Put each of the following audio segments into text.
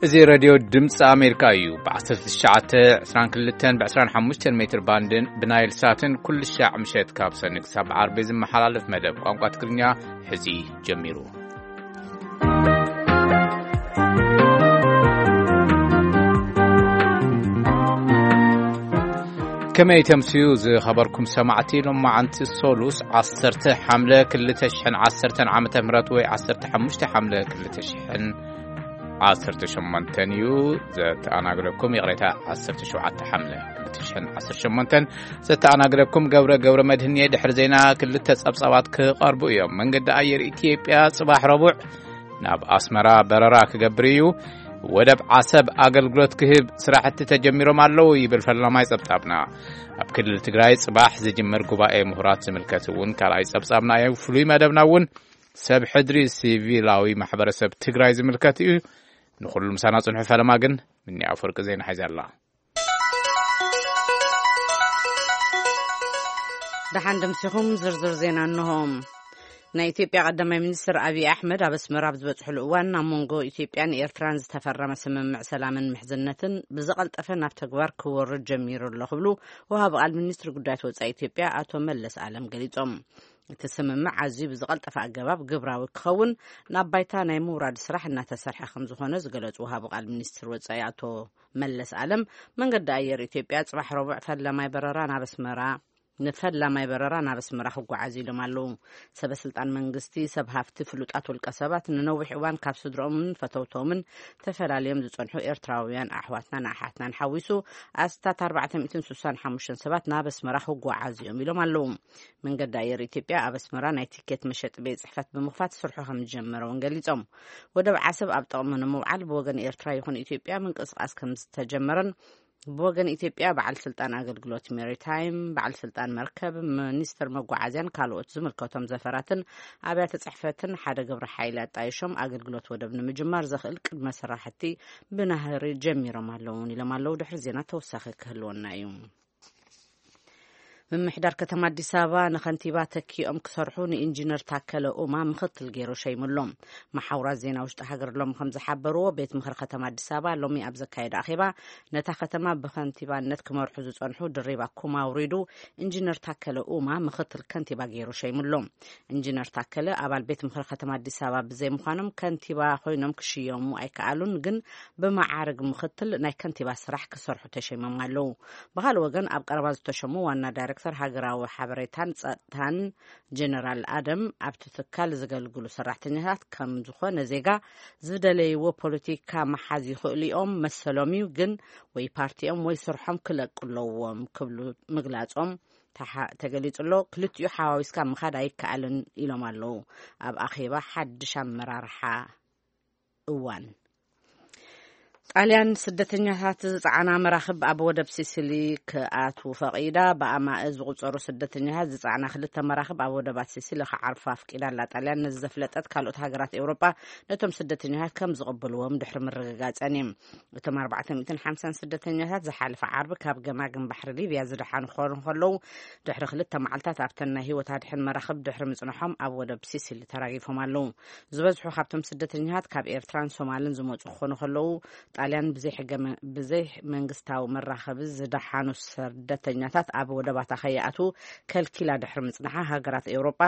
እዚ ሬድዮ ድምፂ ኣሜሪካ እዩ። ብ1922 ብ25 ሜትር ባንድን ብናይል ሳትን ኩሉ ሻዕ ምሸት ካብ ሰኒ ክሳብ ዓርቢ ዝመሓላለፍ መደብ ቋንቋ ትግርኛ ሕዚ ጀሚሩ። ከመይ ተምስዩ ዝኸበርኩም ሰማዕቲ? ሎማዓንቲ ሶሉስ 10 ሓምለ 2010 ዓመተ ምህረት ወይ 15 ሓምለ 2000 ዓሰርተ ሸሞንተን እዩ ዘተኣናግደኩም። ይቕሬታ፣ ዓሰርተ ሸውዓተ ሓምለ ክልተ ሽሕን ዓሰርተ ሸሞንተን ዘተኣናግደኩም ገብረ፣ ገብረ መድህን እየ። ድሕሪ ዜና ክልተ ጸብጻባት ክቐርቡ እዮም። መንገዲ ኣየር ኢትዮጵያ ጽባሕ ረቡዕ ናብ ኣስመራ በረራ ክገብር እዩ። ወደብ ዓሰብ ኣገልግሎት ክህብ ስራሕቲ ተጀሚሮም ኣለዉ ይብል ፈላማይ ጸብጻብና። ኣብ ክልል ትግራይ ጽባሕ ዝጅመር ጉባኤ ምሁራት ዝምልከት እውን ካልኣይ ጸብጻብና እዩ። ፍሉይ መደብና እውን ሰብ ሕድሪ ሲቪላዊ ማሕበረሰብ ትግራይ ዝምልከት እዩ። ንኹሉ ምሳና ጽንሑ። ፈለማ ግን ምኒ ኣፈወርቂ ዜና ሒዛ ኣላ። ደሓን ደምሲኹም ዝርዝር ዜና እንሆ። ናይ ኢትዮጵያ ቀዳማይ ሚኒስትር ኣብይ ኣሕመድ ኣብ ኣስመራ ኣብ ዝበጽሕሉ እዋን፣ ኣብ መንጎ ኢትዮጵያን ኤርትራን ዝተፈረመ ስምምዕ ሰላምን ምሕዝነትን ብዝቐልጠፈ ናብ ተግባር ክወርድ ጀሚሩ ኣሎ ክብሉ ወሃቢ ቃል ሚኒስትሪ ጉዳያት ወጻኢ ኢትዮጵያ ኣቶ መለስ ኣለም ገሊጾም። እቲ ስምምዕ ኣዝዩ ብዝቐልጠፈ ኣገባብ ግብራዊ ክኸውን ናብ ባይታ ናይ ምውራድ ስራሕ እናተሰርሐ ከም ዝኾነ ዝገለጹ ወሃቢ ቃል ሚኒስትር ወጻኢ ኣቶ መለስ ኣለም፣ መንገዲ ኣየር ኢትዮጵያ ጽባሕ ረቡዕ ፈላማይ በረራ ናብ ኣስመራ ንፈላማይ በረራ ናብ ኣስመራ ክጓዓዝ ኢሎም ኣለዉ። ሰበ ስልጣን መንግስቲ፣ ሰብ ሃፍቲ፣ ፍሉጣት ውልቀ ሰባት፣ ንነዊሕ እዋን ካብ ስድሮምን ፈተውቶምን ተፈላልዮም ዝጸንሑ ኤርትራውያን ኣሕዋትናን ኣሓትናን ሓዊሱ ኣስታት ኣርባዕተ ሚእትን ስሳን ሓሙሽተን ሰባት ናብ ኣስመራ ክጓዓዙ እዮም ኢሎም ኣለዉ። መንገዲ ኣየር ኢትዮጵያ ኣብ ኣስመራ ናይ ቲኬት መሸጢ ቤት ጽሕፈት ብምኽፋት ስርሑ ከም ዝጀመረ እውን ገሊጾም። ወደብ ዓሰብ ኣብ ጥቕሚ ንምውዓል ብወገን ኤርትራ ይኹን ኢትዮጵያ ምንቅስቓስ ከም ዝተጀመረን ብወገን ኢትዮጵያ በዓል ስልጣን ኣገልግሎት ሜሪታይም፣ በዓል ስልጣን መርከብ፣ ሚኒስትር መጓዓዝያን ካልኦት ዝምልከቶም ዘፈራትን ኣብያተ ጽሕፈትን ሓደ ግብረ ሓይሊ ኣጣይሾም ኣገልግሎት ወደብ ንምጅማር ዘኽእል ቅድመ ስራሕቲ ብናህሪ ጀሚሮም ኣለውን ኢሎም ኣለዉ። ድሕሪ ዜና ተወሳኺ ክህልወና እዩ። ምምሕዳር ከተማ ኣዲስ ኣበባ ንኸንቲባ ተኪኦም ክሰርሑ ንኢንጂነር ታከለ ኡማ ምኽትል ገይሩ ሸይሙሎም። መሓውራት ዜና ውሽጢ ሃገር ሎም ከም ዝሓበርዎ፣ ቤት ምኽሪ ከተማ ኣዲስ ኣበባ ሎሚ ኣብ ዘካየደ ኣኼባ፣ ነታ ከተማ ብኸንቲባነት ክመርሑ ዝጸንሑ ድሪባ ኩማ ኣውሪዱ፣ ኢንጂነር ታከለ ኡማ ምኽትል ከንቲባ ገይሩ ሸይሙሎም። ኢንጂነር ታከለ ኣባል ቤት ምኽሪ ከተማ ኣዲስ ኣበባ ብዘይምዃኖም ከንቲባ ኮይኖም ክሽየሙ ኣይከኣሉን፣ ግን ብመዓርግ ምኽትል ናይ ከንቲባ ስራሕ ክሰርሑ ተሸይሞም ኣለዉ። ብኻልእ ወገን፣ ኣብ ቀረባ ዝተሸሙ ዋና ዳይሬክተር ሃገራዊ ሓበሬታን ጸጥታን ጀነራል ኣደም፣ ኣብቲ ትካል ዘገልግሉ ሰራሕተኛታት ከም ዝኾነ ዜጋ ዝደለይዎ ፖለቲካ ምሓዝ ይኽእሉ እዮም፣ መሰሎም እዩ፣ ግን ወይ ፓርቲኦም ወይ ስርሖም ክለቁ ኣለዎም ክብሉ ምግላጾም ተሓ-፣ ተገሊጹ ኣሎ። ክልቲኡ ሓዋዊስካ ምኻድ ኣይከኣልን ኢሎም ኣለዉ። ኣብ ኣኼባ ሓድሽ ኣመራርሓ እዋን። ጣልያን ስደተኛታት ዝጸዓና መራኽብ ኣብ ወደብ ሲሲሊ ክኣትዉ ፈቒዳ። ብኣማእ ዝቑጸሩ ስደተኛታት ዝጸዓና ክልተ መራኽብ ኣብ ወደባት ሲሲሊ ክዓርፋ ኣፍቂዳ ኣላ። ጣልያን ነዚ ዘፍለጠት፣ ካልኦት ሃገራት ኤውሮጳ ነቶም ስደተኛታት ከም ዝቕበልዎም ድሕሪ ምርግጋጸን እዩ። እቶም ኣርባዕተ ሚእትን ሓምሳን ስደተኛታት ዝሓለፈ ዓርቢ ካብ ገማግም ባሕሪ ሊብያ ዝደሓኑ ክኾኑ ከለዉ፣ ድሕሪ ክልተ መዓልታት ኣብተን ናይ ህይወት ኣድሕን መራኽብ ድሕሪ ምጽንሖም ኣብ ወደብ ሲሲሊ ተራጊፎም ኣለዉ። ዝበዝሑ ካብቶም ስደተኛታት ካብ ኤርትራን ሶማልን ዝመጹ ክኾኑ ከለዉ፣ ጣልያን ብዘይ ሕገ መ-፣ ብዘይ መንግስታዊ መራኸቢ ዝደሓኑ ስደተኛታት ኣብ ወደባታ ከይኣትዉ ከልኪላ ድሕሪ ምጽንሓ፣ ሃገራት ኤውሮጳ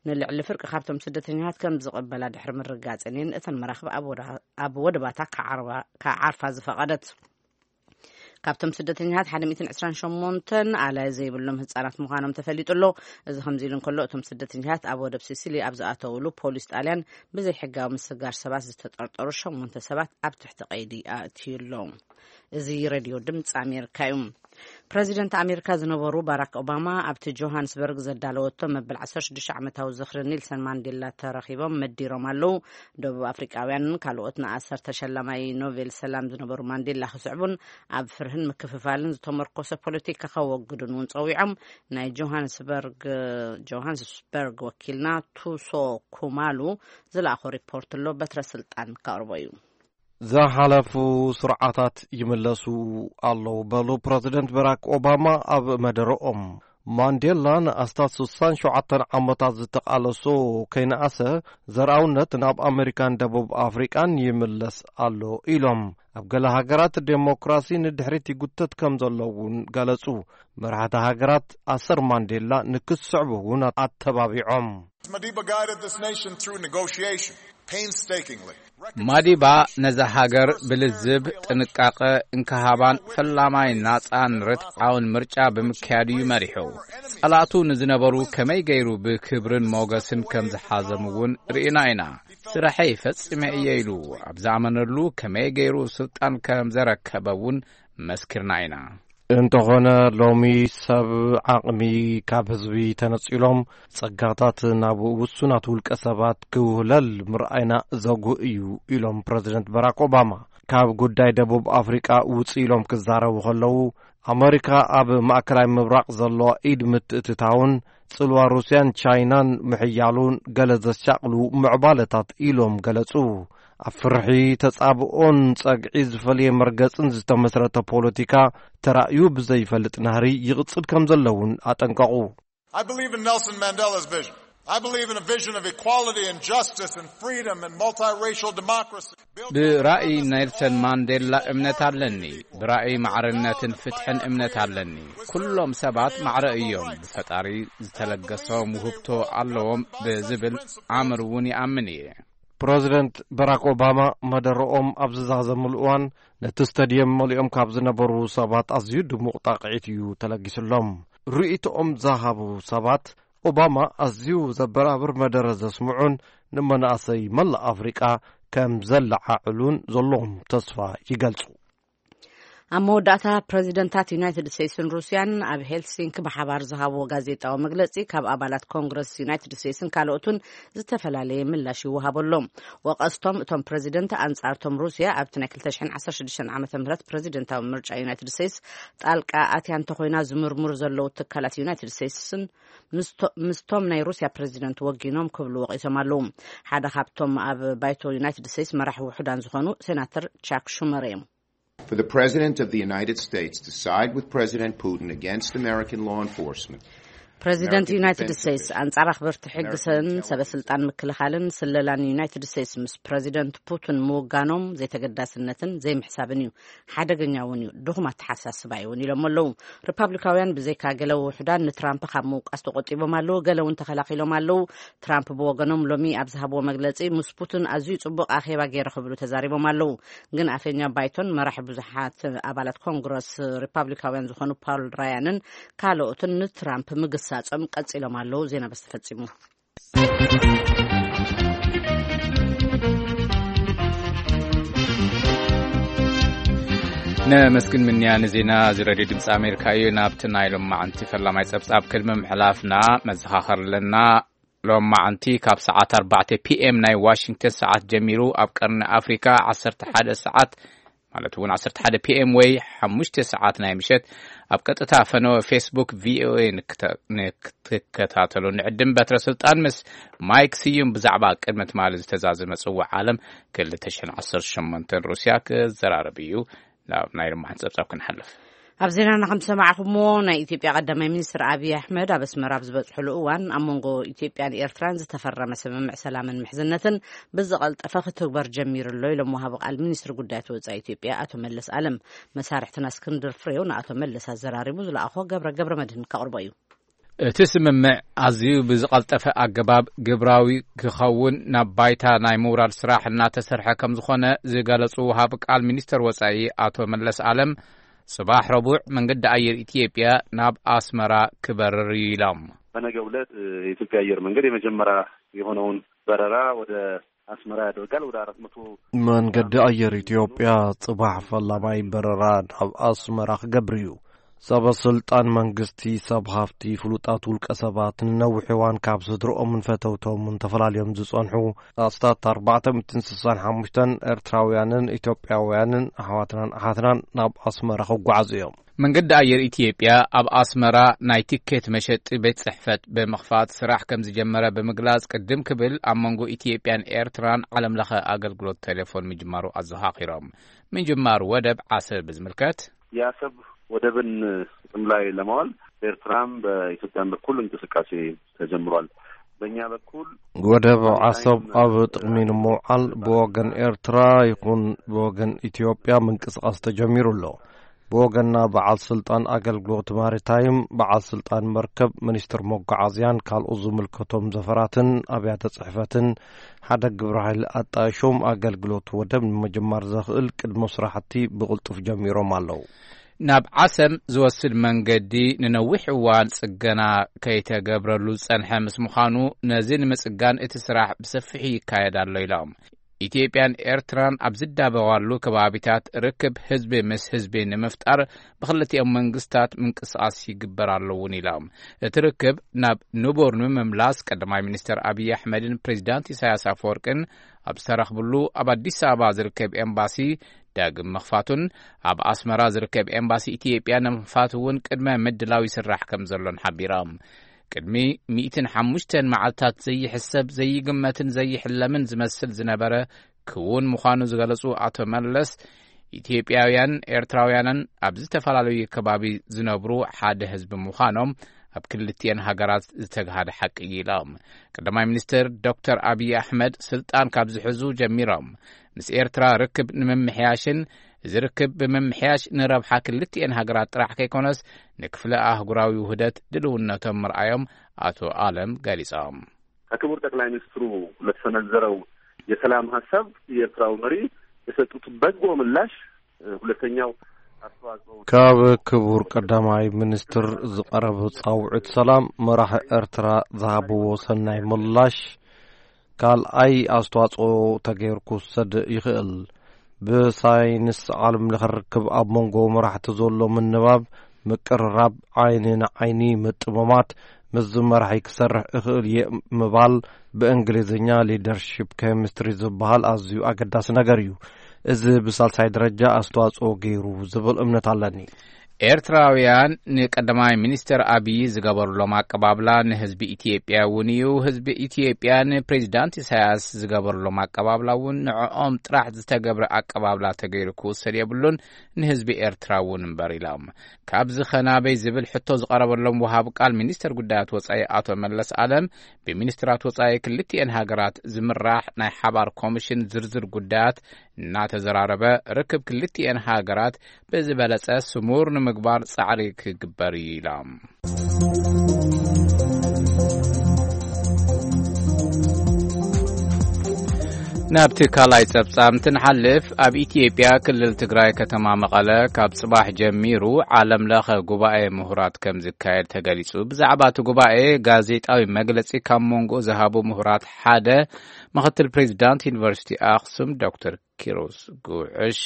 ንልዕሊ ፍርቂ ካብቶም ስደተኛታት ከም ዝቕበላ ድሕሪ ምርጋጸን እየን እተን መራኽብ ኣብ ወደ-፣ ኣብ ወደባታ ክዓርባ-፣ ክዓርፋ ዝፈቐደት። ካብቶም ስደተኛታት ሓደ ሚእትን ዕስራን ሸሞንተን ኣላዪ ዘይብሎም ህጻናት ምዃኖም ተፈሊጡ ኣሎ። እዚ ከምዚ ኢሉ እንከሎ፣ እቶም ስደተኛታት ኣብ ወደብ ሲሲሊ ኣብ ዝኣተውሉ፣ ፖሊስ ጣልያን ብዘይሕጋዊ ምስጋር ሰባት ዝተጠርጠሩ ሸሞንተ ሰባት ኣብ ትሕቲ ቀይዲ ኣእትዩ ኣሎ። እዚ ሬድዮ ድምፂ ኣሜሪካ እዩ። ፕረዚደንት ኣሜሪካ ዝነበሩ ባራክ ኦባማ ኣብቲ ጆሃንስበርግ ዘዳለወቶ መበል ዓሰርተ ሽዱሽተ ዓመታዊ ዝኽሪ ኔልሰን ማንዴላ ተረኺቦም መዲሮም ኣለዉ። ደቡብ ኣፍሪቃውያንን ካልኦት ንኣሰር ተሸላማይ ኖቤል ሰላም ዝነበሩ ማንዴላ ክስዕቡን ኣብ ፍርህን ምክፍፋልን ዝተመርኮሰ ፖለቲካ ከወግዱን እውን ጸዊዖም። ናይ ጆሃንስበርግ፣ ጆሃንስበርግ ወኪልና ቱሶ ኩማሉ ዝለኣኾ ሪፖርት ኣሎ፣ በትረ ስልጣን ከቕርቦ እዩ። ዝሓለፉ ስርዓታት ይምለሱ ኣለዉ በሉ ፕረዚደንት በራክ ኦባማ ኣብ መደረኦም። ማንዴላ ንኣስታት ስሳን ሸውዓተን ዓመታት ዝተቓለሶ ከይነኣሰ፣ ዘርኣውነት ናብ ኣመሪካን ደቡብ ኣፍሪቃን ይምለስ ኣሎ ኢሎም። ኣብ ገለ ሃገራት ዴሞክራሲ ንድሕሪት ይጉተት ከም ዘሎ እውን ገለጹ። መራሕቲ ሃገራት ኣሰር ማንዴላ ንክስዕቡ እውን ኣተባቢዖም። Madiba guided this nation through negotiation, painstakingly. ማዲባ ነዛ ሃገር ብልዝብ፣ ጥንቃቐ፣ እንክሃባን ፈላማይ ናጻን ርትዓውን ምርጫ ብምክያድ እዩ መሪሑ። ጸላእቱ ንዝነበሩ ከመይ ገይሩ ብክብርን ሞገስን ከም ዝሓዞም እውን ርኢና ኢና። ስራሐይ ፈጺመ እየ ኢሉ ኣብ ዝኣመነሉ ከመይ ገይሩ ስልጣን ከም ዘረከበ እውን መስኪርና ኢና። እንተኾነ ሎሚ ሰብ ዓቕሚ ካብ ህዝቢ ተነጺሎም ጸጋታት ናብ ውሱናት ውልቀ ሰባት ክውህለል ምርኣይና ዘጉህ እዩ ኢሎም ፕረዚደንት በራክ ኦባማ። ካብ ጉዳይ ደቡብ ኣፍሪቃ ውጽእ ኢሎም ክዛረቡ ከለዉ፣ ኣመሪካ ኣብ ማእከላይ ምብራቕ ዘለዋ ኢድ ምትእትታውን ጽልዋ ሩስያን ቻይናን ምሕያሉን ገለ ዘሻቕሉ ምዕባለታት ኢሎም ገለጹ። ኣብ ፍርሒ፣ ተጻብኦን ጸግዒ ዝፈልየ መርገጽን ዝተመስረተ ፖለቲካ ተራእዩ ብዘይፈልጥ ናህሪ ይቕጽል ከም ዘለውን ኣጠንቀቑ። I believe in Nelson Mandela's vision. I believe in a vision of equality and justice and freedom and multiracial democracy. ብራእይ ኔልሰን ማንዴላ እምነት ኣለኒ። ብራእይ ማዕርነትን ፍትሕን እምነት ኣለኒ። ኩሎም ሰባት ማዕረ እዮም። ብፈጣሪ ዝተለገሶም ውህብቶ ኣለዎም ብዝብል ኣምር እውን ይኣምን እየ። ፕረዚደንት በራክ ኦባማ መደረኦም ኣብ ዝዛዘምሉ እዋን፣ ነቲ ስታድየም መሊኦም ካብ ዝነበሩ ሰባት ኣዝዩ ድሙቕ ጣቕዒት እዩ ተለጊስሎም። ርእይቶኦም ዝሃቡ ሰባት፣ ኦባማ ኣዝዩ ዘበራብር መደረ ዘስምዑን ንመናእሰይ መላእ ኣፍሪቃ ከም ዘለዓዕሉን ዘለዎም ተስፋ ይገልጹ። ኣብ መወዳእታ፣ ፕረዚደንታት ዩናይትድ ስቴትስን ሩስያን ኣብ ሄልሲንኪ ብሓባር ዝሃብዎ ጋዜጣዊ መግለጺ፣ ካብ ኣባላት ኮንግረስ ዩናይትድ ስቴትስን ካልኦትን ዝተፈላለየ ምላሽ ይወሃበሎም። ወቐስቶም እቶም ፕረዚደንት ኣንጻርቶም ሩስያ ኣብቲ ናይ ክልተ ሽሕን ዓሰርተ ሽዱሽተን ዓመተ ምህረት ፕረዚደንታዊ ምርጫ ዩናይትድ ስቴትስ ጣልቃ ኣትያ እንተኾይና ዝምርምሩ ዘለዉ ትካላት ዩናይትድ ስቴትስን ምስቶ-፣ ምስቶም ናይ ሩስያ ፕረዚደንት ወጊኖም ክብሉ ወቒሶም ኣለዉ። ሓደ ካብቶም ኣብ ባይቶ ዩናይትድ ስቴትስ መራሒ ውሑዳን ዝኾኑ ሴናተር ቻክ ሹመር እዮም። For the President of the United States to side with President Putin against American law enforcement, ፕረዚደንት American ዩናይትድ defense ስቴትስ division, ኣንጻር ኣኽበርቲ ሕግን ሰበ ስልጣን ምክልኻልን ስለላን ዩናይትድ ስቴትስ ምስ ፕረዚደንት ፑቲን ምውጋኖም ዘይተገዳስነትን ዘይምሕሳብን እዩ። ሓደገኛ እውን እዩ። ድኹም ኣተሓሳስባ እዩ እውን ኢሎም ኣለዉ። ሪፓብሊካውያን ብዘይካ ገለ ውሑዳን ንትራምፕ ካብ ምውቃስ ተቆጢቦም ኣለዉ። ገለ እውን ተኸላኺሎም ኣለዉ። ትራምፕ ብወገኖም ሎሚ ኣብ ዝሃብዎ መግለጺ፣ ምስ ፑቲን ኣዝዩ ጽቡቕ ኣኼባ ገይረ ክብሉ ተዛሪቦም ኣለዉ። ግን ኣፈኛ ባይቶን መራሒ ብዙሓት ኣባላት ኮንግረስ ሪፓብሊካውያን ዝኾኑ ፓል ራያንን ካልኦትን ንትራምፕ ምግሳጾም ቀጺሎም ኣለዉ። ዜና በስ ተፈጺሙ። ነመስግን ምንያ ንዜና እዚ ሬድዮ ድምፂ ኣሜሪካ እዩ። ናብቲ ናይ ሎማዓንቲ ፈላማይ ፀብፃብ ቅድሚ ምሕላፍና መዘኻኸር ኣለና። ሎማዓንቲ ካብ ሰዓት ኣርባዕተ ፒ ኤም ናይ ዋሽንግተን ሰዓት ጀሚሩ ኣብ ቀርኒ ኣፍሪካ ዓሰርተ ሓደ ሰዓት ማለት እውን ዓሰርተ ሓደ ፒ ኤም ወይ ሓሙሽተ ሰዓት ናይ ምሸት ኣብ ቀጥታ ፈነወ ፌስቡክ ቪ ኦ ኤ ንክተ-፣ ንክትከታተሉ ንዕድም። በትረ ስልጣን ምስ ማይክ ስዩም ብዛዕባ ቅድሚ ትማሊ ዝተዛዘመ ጽዋዕ ዓለም ክልተ ሽሕን ዓሰርተ ሸሞንተን ሩስያ ክዘራረብ እዩ። ናብ ናይ ሎማዓንቲ ጸብጻብ ክንሓልፍ። ኣብ ዜናና ከም ዝሰማዕኹምዎ፣ ናይ ኢትዮጵያ ቀዳማይ ሚኒስትር ኣብይ ኣሕመድ ኣብ ኣስመራ ኣብ ዝበጽሕሉ እዋን፣ ኣብ መንጎ ኢትዮጵያን ኤርትራን ዝተፈረመ ስምምዕ ሰላምን ምሕዝነትን ብዝቐልጠፈ ክትግበር ጀሚሩ ኣሎ ኢሎም ወሃቢ ቃል ሚኒስትሪ ጉዳያት ወጻኢ ኢትዮጵያ ኣቶ መለስ ኣለም። መሳርሕትና እስክንድር ፍሬው ንኣቶ መለስ ኣዘራሪቡ ዝለኣኾ ገብረ ገብረ መድህን ከቕርቦ እዩ። እቲ ስምምዕ ኣዝዩ ብዝቐልጠፈ ኣገባብ ግብራዊ ክኸውን ናብ ባይታ ናይ ምውራድ ስራሕ እናተሰርሐ ከም ዝኾነ ዝገለጹ ወሃቢ ቃል ሚኒስተር ወጻኢ ኣቶ መለስ ኣለም፣ ጽባሕ ረቡዕ መንገዲ ኣየር ኢትዮጵያ ናብ ኣስመራ ክበርር እዩ ኢሎም። በነገው ዕለት የኢትዮጵያ አየር መንገድ የመጀመሪያ የሆነውን በረራ ወደ አስመራ ያደርጋል። ወደ አራት መቶ መንገዲ ኣየር ኢትዮጵያ ጽባሕ ፈላማይ በረራ ናብ ኣስመራ ክገብር እዩ። ሰበ ስልጣን መንግስቲ፣ ሰብ ሃፍቲ፣ ፍሉጣት ውልቀ ሰባት፣ ንነዊሕ እዋን ካብ ስድርኦምን ፈተውቶምን ተፈላልዮም ዝጸንሑ ኣስታት ኣርባዕተ ሚእትን ስሳን ሓሙሽተን ኤርትራውያንን ኢትዮጵያውያንን ኣሕዋትናን ኣሓትናን ናብ ኣስመራ ክጓዓዙ እዮም። መንገዲ ኣየር ኢትዮጵያ ኣብ ኣስመራ ናይ ቲኬት መሸጢ ቤት ጽሕፈት ብምኽፋት ስራሕ ከም ዝጀመረ ብምግላጽ፣ ቅድም ክብል ኣብ መንጎ ኢትዮጵያን ኤርትራን ዓለም ለኸ ኣገልግሎት ቴሌፎን ምጅማሩ ኣዘኻኺሮም። ምጅማር ወደብ ዓሰብ ብዝምልከት፣ የአሰብ ወደብን ጥቅም ላይ ለማዋል በኤርትራም በኢትዮጵያም በኩል እንቅስቃሴ ተጀምሯል። በእኛ በኩል ወደብ ዓሰብ ኣብ ጥቕሚ ንምውዓል ብወገን ኤርትራ ይኹን ብወገን ኢትዮጵያ ምንቅስቓስ ተጀሚሩ ኣሎ። ብወገንና በዓል ስልጣን ኣገልግሎት ማሪታይም፣ በዓል ስልጣን መርከብ፣ ሚኒስትር መጓዓዝያን ካልኦት ዝምልከቶም ዘፈራትን ኣብያተ ጽሕፈትን ሓደ ግብረ ሓይሊ ኣጣይሾም ኣገልግሎት ወደብ ንምጅማር ዘኽእል ቅድመ ስራሕቲ ብቕልጡፍ ጀሚሮም ኣለዉ። ናብ ዓሰብ ዝወስድ መንገዲ ንነዊሕ እዋን ጽገና ከይተገብረሉ ዝጸንሐ ምስ ምዃኑ፣ ነዚ ንምጽጋን እቲ ስራሕ ብሰፊሑ ይካየድ ኣሎ ኢሎም። ኢትዮጵያን ኤርትራን ኣብ ዝዳበዋሉ ከባቢታት ርክብ ህዝቢ ምስ ህዝቢ ንምፍጣር ብክልቲኦም መንግስታት ምንቅስቓስ ይግበር ኣሎ እውን ኢሎም። እቲ ርክብ ናብ ንቡር ንምምላስ ቀዳማይ ሚኒስትር ኣብይ ኣሕመድን ፕሬዚዳንት ኢሳያስ ኣፈወርቅን ኣብ ዝተረኽብሉ ኣብ ኣዲስ ኣበባ ዝርከብ ኤምባሲ ዳግም ምኽፋቱን ኣብ ኣስመራ ዝርከብ ኤምባሲ ኢትዮጵያ ንምኽፋት እውን ቅድመ ምድላው ይስራሕ ከም ዘሎን ሓቢሮም። ቅድሚ ሚእትን ሓሙሽተን መዓልታት ዘይሕሰብ፣ ዘይግመትን ዘይሕለምን ዝመስል ዝነበረ ክውን ምዃኑ ዝገለጹ ኣቶ መለስ፣ ኢትዮጵያውያን ኤርትራውያንን ኣብ ዝተፈላለዩ ከባቢ ዝነብሩ ሓደ ህዝቢ ምዃኖም ኣብ ክልቲኤን ሃገራት ዝተግሃደ ሓቂ እዩ ኢሎም። ቀዳማይ ሚኒስትር ዶክተር ኣብይ ኣሕመድ ስልጣን ካብ ዝሕዙ ጀሚሮም ምስ ኤርትራ ርክብ ንምምሕያሽን እዚ ርክብ ብምምሕያሽ ንረብሓ ክልቲኤን ሃገራት ጥራሕ ከይኮነስ ንክፍለ ኣህጉራዊ ውህደት ድልውነቶም ምርኣዮም ኣቶ ኣለም ገሊጾም። ከክቡር ጠቅላይ ሚኒስትሩ ለተሰነዘረው የሰላም ሀሳብ የኤርትራው መሪ የሰጡት በጎ ምላሽ፣ እ፣ ሁለተኛው አስተዋጽኦ ካብ ክቡር ቀዳማይ ሚኒስትር ዝቐረበ ጻውዒት ሰላም መራሒ ኤርትራ ዝሃብዎ ሰናይ ምላሽ ካልኣይ ኣስተዋጽኦ ተገይሩ ክውሰድ ይኽእል። ብሳይንስ ዓለም ለኸ ርክብ ኣብ መንጎ መራሕቲ ዘሎ ምንባብ፣ ምቅርራብ፣ ዓይኒ ንዓይኒ ምጥምማት፣ ምስዚ መራሒ ክሰርሕ እኽእል እየ ምባል፣ ብእንግሊዝኛ ሊደርሺፕ ኬሚስትሪ ዝበሃል ኣዝዩ ኣገዳሲ ነገር እዩ። እዚ ብሳልሳይ ደረጃ ኣስተዋጽኦ ገይሩ ዝብል እምነት ኣለኒ። ኤርትራውያን ንቀዳማይ ሚኒስትር ኣብይ ዝገበሩሎም ኣቀባብላ ንህዝቢ ኢትዮጵያ እውን እዩ። ህዝቢ ኢትዮጵያ ንፕሬዚዳንት ኢሳያስ ዝገበሩሎም ኣቀባብላ እውን ንዕኦም ጥራሕ ዝተገብረ ኣቀባብላ ተገይሩ ክውሰድ የብሉን፣ ንህዝቢ ኤርትራ እውን እምበር ኢሎም። ካብዚ ኸ ናበይ ዝብል ሕቶ ዝቐረበሎም ወሃቢ ቃል ሚኒስትር ጉዳያት ወጻኢ ኣቶ መለስ ኣለም፣ ብሚኒስትራት ወጻኢ ክልቲኤን ሃገራት ዝምራሕ ናይ ሓባር ኮሚሽን ዝርዝር ጉዳያት እናተዘራረበ፣ ርክብ ክልቲኤን ሃገራት ብዝበለጸ ስሙር ንምግባር ጻዕሪ ክግበር እዩ ኢሎም። ናብቲ ካልኣይ ጸብጻብ እንትንሓልፍ፣ ኣብ ኢትዮጵያ ክልል ትግራይ ከተማ መቐለ ካብ ጽባሕ ጀሚሩ ዓለም ለኸ ጉባኤ ምሁራት ከም ዝካየድ ተገሊጹ። ብዛዕባ እቲ ጉባኤ ጋዜጣዊ መግለጺ ካብ መንጎ ዝሃቡ ምሁራት ሓደ ምኽትል ፕሬዚዳንት ዩኒቨርሲቲ ኣኽሱም ዶክተር ኪሮስ ጉዕሽ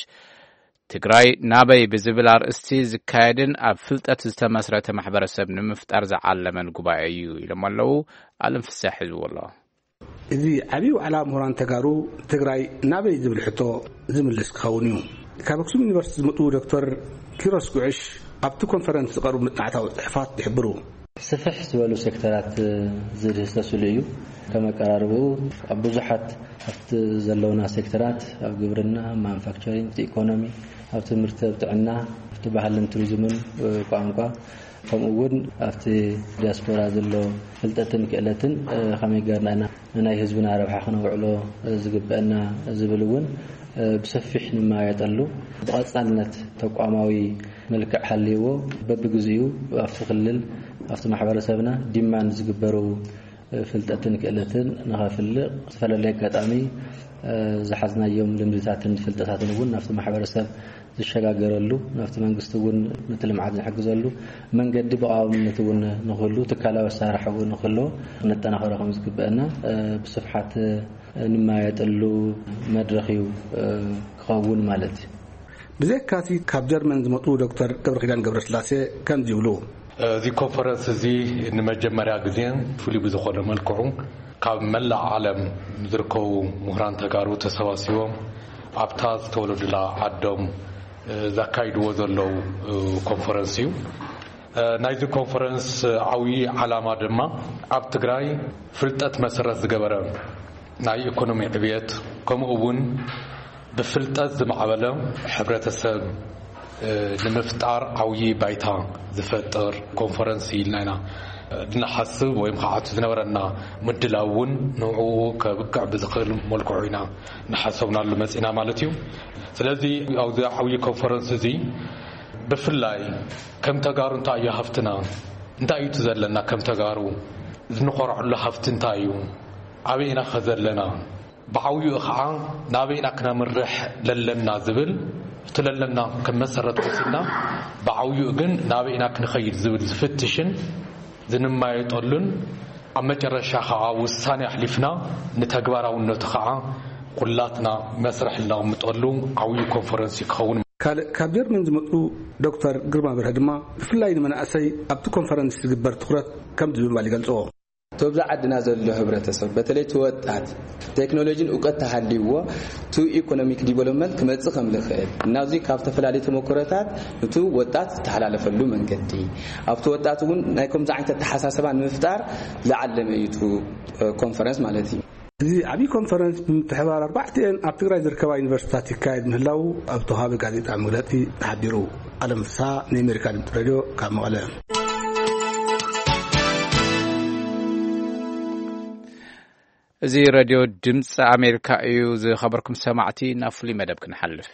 ትግራይ ናበይ ብዝብል ኣርእስቲ ዝካየድን ኣብ ፍልጠት ዝተመስረተ ማሕበረሰብ ንምፍጣር ዝዓለመን ጉባኤ እዩ ኢሎም ኣለዉ። ኣለም ፍሳሕ ሒዝዎ ኣሎ። እዚ ዓብዪ ዋዕላ ምሁራን ተጋሩ ትግራይ ናበይ ዝብል ሕቶ ዝምልስ ክኸውን እዩ። ካብ ኣክሱም ዩኒቨርሲቲ ዝመጡ ዶክተር ኪሮስ ጉዕሽ ኣብቲ ኮንፈረንስ ዝቐርቡ መጽናዕታዊ ጽሑፋት ይሕብሩ። ስፍሕ ዝበሉ ሴክተራት ዝድህሰስሉ እዩ። ከም ኣቀራርብኡ ኣብ ብዙሓት ኣብቲ ዘለውና ሴክተራት፣ ኣብ ግብርና፣ ኣብ ማኑፋክቸሪንግ፣ ኣብቲ ኢኮኖሚ፣ ኣብ ትምህርቲ፣ ኣብ ጥዕና፣ ኣብቲ ባህልን ቱሪዝምን፣ እ፣ ቋንቋ፣ ከምኡ እውን ኣብቲ ዲያስፖራ ዘሎ ፍልጠትን ክእለትን፣ እ፣ ከመይ ጌርና ኢና ንናይ ህዝብና ረብሓ ክነውዕሎ፣ እ፣ ዝግበአና ዝብል እውን፣ እ፣ ብሰፊሕ ንመያየጠሉ፣ ብቐጻልነት ተቋማዊ መልክዕ ሃልይዎ፣ በብግዚኡ ኣብቲ ክልል፣ ኣብቲ ማሕበረሰብና ዲማንድ ዝግበሩ ፍልጠትን ክእለትን ንኸፍልቕ፣ ዝተፈላለየ ኣጋጣሚ፣ እ፣ ዝሓዝናዮም ልምድታትን ፍልጠታትን እውን ናብቲ ማሕበረሰብ ዝሸጋገረሉ፣ ናብቲ መንግስቲ እውን ነቲ ልምዓት ዝሕግዘሉ መንገዲ ብቐዋምነት እውን ንክህሉ፣ ትካላዊ ኣሰራርሓ እውን ንክህልዎ ክነጠናኽሮ ከም ዝግበአና፣ እ፣ ብስፍሓት፣ እ፣ ንመያየጠሉ መድረኽ እዩ፣ እ፣ ክኸውን ማለት እዩ። ብዘይካሲ ካብ ጀርመን ዝመጡ ዶክተር ገብረኪዳን ገብረስላሴ ከምዚ ይብሉ። እዚ ኮንፈረንስ እዚ ንመጀመርያ ግዜን ፍሉይ ብዝኾነ መልክዑ ካብ መላእ ዓለም ዝርከቡ ምሁራን ተጋሩ ተሰባሲቦም ኣብታ ዝተወለዱላ ዓዶም ዘካይድዎ ዘለዉ ኮንፈረንስ እዩ። ናይዚ ኮንፈረንስ ዓብዪ ዓላማ ድማ ኣብ ትግራይ ፍልጠት መሰረት ዝገበረ ናይ ኢኮኖሚ ዕብየት፣ ከምኡ እውን ብፍልጠት ዝማዕበለ ሕብረተሰብ ንምፍጣር ዓብዪ ባይታ ዝፈጥር ኮንፈረንስ ኢልና ኢና ንሓስብ፣ ወይም ከዓ እቲ ዝነበረና ምድላው እውን ንዕኡ ከብቅዕ ብዝኽእል መልክዑ ኢና እናሓሰብናሉ መፂና ማለት እዩ። ስለዚ ኣብዚ ዓብዪ ኮንፈረንስ እዚ ብፍላይ ከም ተጋሩ እንታይ እዩ ሃፍትና፣ እንታይ እዩ እቲ ዘለና ከም ተጋሩ፣ እንኾርዐሉ ሃፍቲ እንታይ እዩ፣ ኣበይ ኢና ከ ዘለና፣ ብዓብይኡ ከዓ ናበይና ክነምርሕ ለለና ዝብል፣ እቲ ለለና ከም መሰረት ወሲድና ብዓብይኡ ግን ናበይና ክንኸይድ ዝብል ዝፍትሽን ዝንማየጠሉን፣ ኣብ መጨረሻ ከዓ ውሳኔ ኣሕሊፍና ንተግባራውነቱ ከዓ ኩላትና መስርሕ እነቕምጠሉ ዓብዪ ኮንፈረንስ እዩ ክኸውን። ካልእ ካብ ጀርመን ዝመፁ ዶክተር ግርማ በርሀ ድማ ብፍላይ ንመናእሰይ ኣብቲ ኮንፈረንስ ዝግበር ትኹረት ከምዚ ብምባል ይገልፅዎ። እቲ ኣብዛ ዓድና ዘሎ ህብረተሰብ፣ በተለይ እቲ ወጣት፣ ቴክኖሎጂን እውቀት ተሃልይዎ፣ ቱ ኢኮኖሚክ ዲቨሎፕመንት ክመጽእ ከም ዝኽእል፣ እናዚ ካብ ዝተፈላለዩ ተመክሮታት፣ እቲ ወጣት ዝተሓላለፈሉ መንገዲ፣ ኣብቲ ወጣት እውን ናይ ከምዚ ዓይነት ኣተሓሳስባ ንምፍጣር ዝዓለመ እዩ እቲ ኮንፈረንስ ማለት እዩ። እዚ ዓብዪ ኮንፈረንስ ብምትሕባር ኣርባዕቲኤን ኣብ ትግራይ ዝርከባ ዩኒቨርሲቲታት ይካየድ ምህላው ኣብ ተዋሃበ ጋዜጣ መግለጺ ተሓቢሩ። ኣለም ፍስሃ፣ ናይ ኣሜሪካ ድምፂ ሬድዮ፣ ካብ መቐለ። እዚ ሬድዮ ድምፂ ኣሜሪካ እዩ። ዝኸበርኩም ሰማዕቲ፣ ናብ ፍሉይ መደብ ክንሓልፍ።